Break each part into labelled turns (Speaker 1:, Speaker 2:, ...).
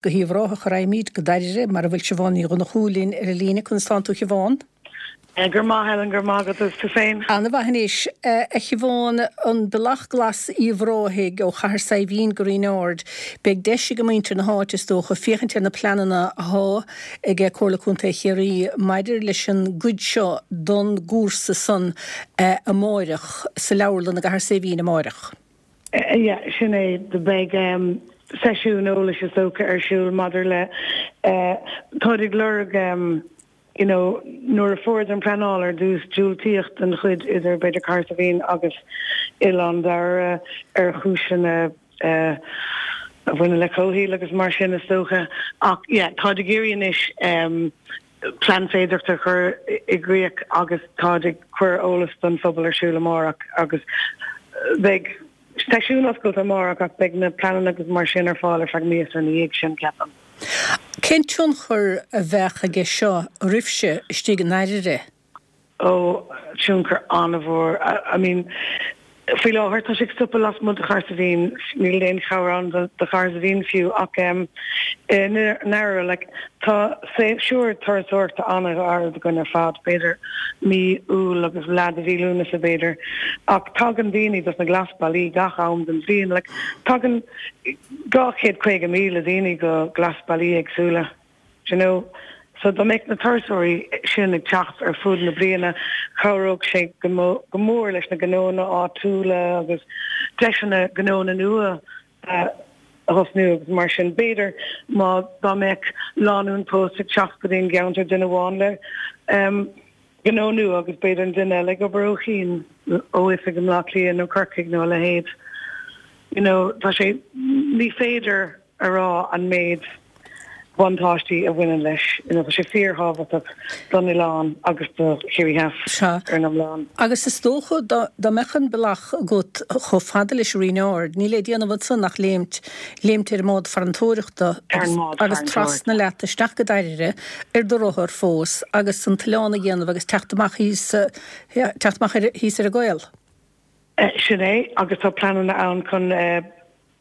Speaker 1: Go hUíbh Ráthach a raghaimid, go Dairbhre, mar a bhfuil Siobhán Ní Dhonnchú linn ar an líne. Conas tánn tú, a Shiobhán?
Speaker 2: Go raibh maith, Helen, go raibh maith agat, agus tú féin?
Speaker 1: Ana-mhaith anois. A Shiobhán, an Bealach Glas Uíbh Ráthaigh ó Chathair Saidhbhín go Rinn Ard, beidh deis ag muintir na háite, is dócha, féachaint ar na pleananna athá ag Comhairle Contae Chiarraí maidir leis an gcuid seo don gcúrsa san amáireach sa leabharlann i gCathair Saidhbhín amáireach.
Speaker 2: Yeah, sin é. Beidh seisiún eolais is dócha ar siúl maidir le, táid ag lorg you know nuair a fuaireadar an pleanáil ar dtús diúltaíodh don chuid idir b'fhéidir Cathair Saidhbhín agus Oileán Dairbhre ar chúiseanna a bhaineann le comhshaol agus mar sin is dócha. Ach yeah, táid ag iarraidh anois plean féidearthachta a chur i gcrích agus táid ag cur eolas don phobal ar siúl amárach agus beidh seisiún oscailte amárach ach beidh na pleananna agus mar sin ar fáil ar feadh míosa ina dhiaidh sin, ceapaim.
Speaker 1: Cén tionchar a bheadh aige seo oraibhse istigh i nDairbhre?
Speaker 2: Ó, tionchar an-mhór. I mean, faoi láthair tá sé ag stopadh lasmuigh de Chahersiveen, níl aon chabhair ann do Chahersiveen fiú ach i nDairbhre, like, tá séasúr turasóireachta an-ghairid againn ar fad, b'fhéidir mí Iúil agus leath de mhí Lúnasa b'fhéidir, ach tagann daoine dos na glasbhealaí gach am den bhliain, like, tagann 250,000 daoine go glasbhealaí éagsúla. Do you know? So dá mbeadh na turasóirí sin ag teacht ar fud na bliana, chabhródh sé go mór leis na gnónna áitiúla agus deiseanna gnónna nua a thosnú agus mar sin. B'fhéidir má dá mbeadh lánúin pósta ag teacht go dtí an gceantar, duine amháin le gnó nua agus b'fhéidir an duine eile ag obair ó chian, ó oifig i mBleá Cliath nó Corcaigh nó a leithéid. You know, tá sé, ní féidir a rá an méid buntáistí a bhaineann leis. You know, tá sé fíorthábhachtach don oileán agus do Chiarraí Theas ar an iomlán.
Speaker 1: Agus is dócha dá mbeadh an bealach agat chomh fada leis an Rinn Ard, níl le déanamh ansan ach léimt, léimt ar an mbád farantóireachta agus trasna leat isteach go Dairbhre ar do rothar fós agus an t-oileán a dhéanamh agus teacht amach thíos, teacht amach thíos ar an gcaol.
Speaker 2: Sin é, agus tá pleananna ann chun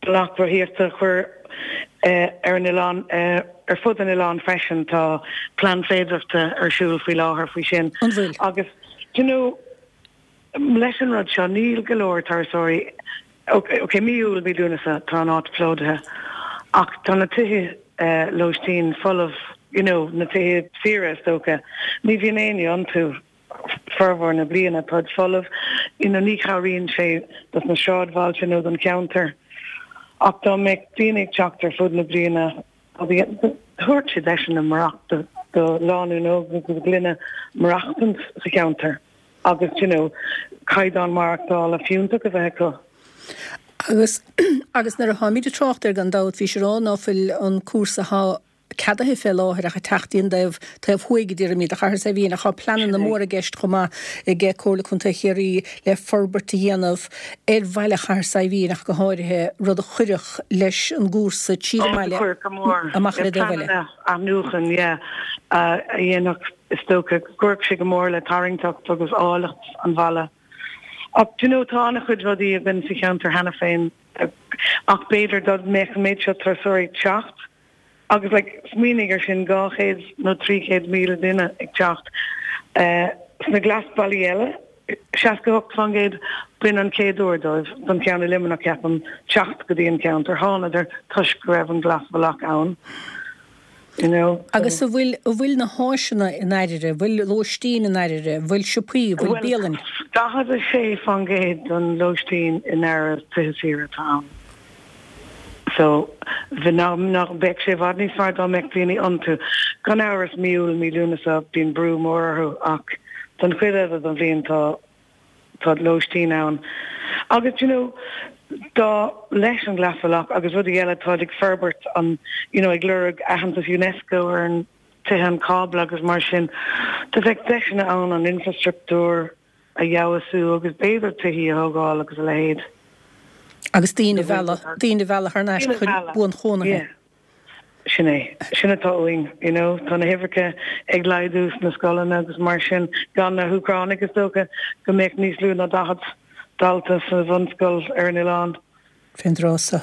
Speaker 2: Bealach rothaíochta a chur ar an oileán, ar fud an oileáin freisin. Tá plean féidearthachta ar siúl faoi láthair faoi sin.
Speaker 1: An bhfuil?
Speaker 2: Agus, do you know, leis an rud seo, níl go leor turasóirí, ok, mí Iúil, mí Lúnasa, tá an áit plódaithe, ach tá na tithe lóistín folamh, you know, na tithe saoire is dócha, ní bhíonn éinne iontu. formhór na bliana, táid folamh, you know, ní chabhraíonn sé dos na sráidbhailte nó don cheantar. Ach dá mbeadh daoine ag teacht ar fud na bliana, thabharfadh sé deiseanna maireachta do lánúin óg agus do ghluine maireachtaint sa cheantar agus, you know, caighdeán maireachtála fiúntach a bheith acu.
Speaker 1: Agus, agus nuair a tháimid ag trácht air gan dabht, bhís ag rá ná fuil an cúrsa athá ceadaithe fé láthair ach ag teacht dtí'n dtaobh taobh thuaidh, a déarfaimid, de Chathair Saidhbhín ach tá pleananna móra i gceist chomh maith ag Comhairle Contae Chiarraí le forbairt a dhéanamh ar bhaile Chathair Saidhbhín ach go háirithe, rud a chuirfeadh leis an gcúrsa tríd an mbaile
Speaker 2: amach ar an dtaobh eile. Pleananna athnuachan, yeah, a dhéanfadh, is dócha, go gcuirfeadh sé go mór le tarraingteacht agus áilleacht an bhaile. Ach, do you know, tá an-chuid rudaí againn sa cheantar cheana féin ach b'fhéidir dá mbeadh an méid seo turasóirí ag teacht, Agus like, smaoinigh ar sin, 200 nó 300,000 duine ag teacht sna glasbhealaí eile, 68%, b'in an chéad uair dóibh, don cheann i Luimneach ceapaim, teacht go dtí an ceantar. Thánadar toisc go raibh an glasbhealach ann, you know.
Speaker 1: Agus an bhfuil, an bhfuil na háiseanna i nDairbhre, an bhfuil lóistín i nDairbhre, an bhfuil siopaí, an bhfuil bialann?
Speaker 2: Bhuel, 46% den lóistín i nDairbhre tithe saoire atá ann. So, bhí, nach, bheadh sé i bhfad níos fearr dá mbeadh daoine iontu. Gan amhras, mí Iúil, mí Lúnasa, bíonn brú mór orthu ach don chuid eile den bhliain tá, tá lóistín ann. Agus, you know, dá, leis an Ghlasbhealach agus rudaí eile, táid ag forbairt an, you know, ag lorg aitheantas Unesco ar an tithe an cábla agus mar sin, do bheadh deiseanna ann an infrastruchtúr, a fheabhsú agus b'fhéidir tithí a thógáil agus a leithéid.
Speaker 1: Agus daoine a mhealladh, daoine a mhealladh thar n-ais chun buanchónaithe.
Speaker 2: Yeah. Sin é. Sin atá uainn, you know. Tá na huimhreacha ag laghdú sna scoileanna agus mar sin, gan na hÚcránaigh is dócha go mbeadh níos lú ná 40 dalta sa bhunscoil ar an oileán.
Speaker 1: Fén dtráth so.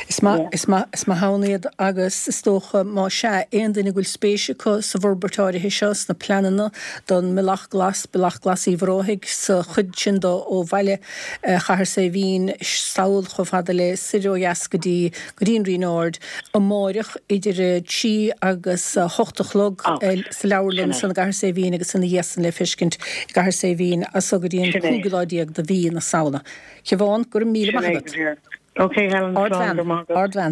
Speaker 1: Is maith, is maith, is maith ann iad agus is dócha, má sea, aon duine go bhfuil spéis acu sa bhforbairt áirithe seo, sna pleananna don mBealach Glas, Bealach Glas Uíbh Ráthaigh, sa chuid sin de ó bhaile Chathair Saidhbhín sall chomh fada le soir ó dheas go dtí, go dtí an Rinn Ard, amáireach idir 3 agus 8 a chlog sa leabharlann ansan i gCathair Saidhbhín agus ina dhiaidh san le feiscint i gCathair Saidhbhín as so go dtí an cúigiú lá déag de mhí na Samhna. Siobhán, go raibh míle maith agat.
Speaker 2: Ok Helen, slán, go raibh maith agat.
Speaker 1: Ardbhean.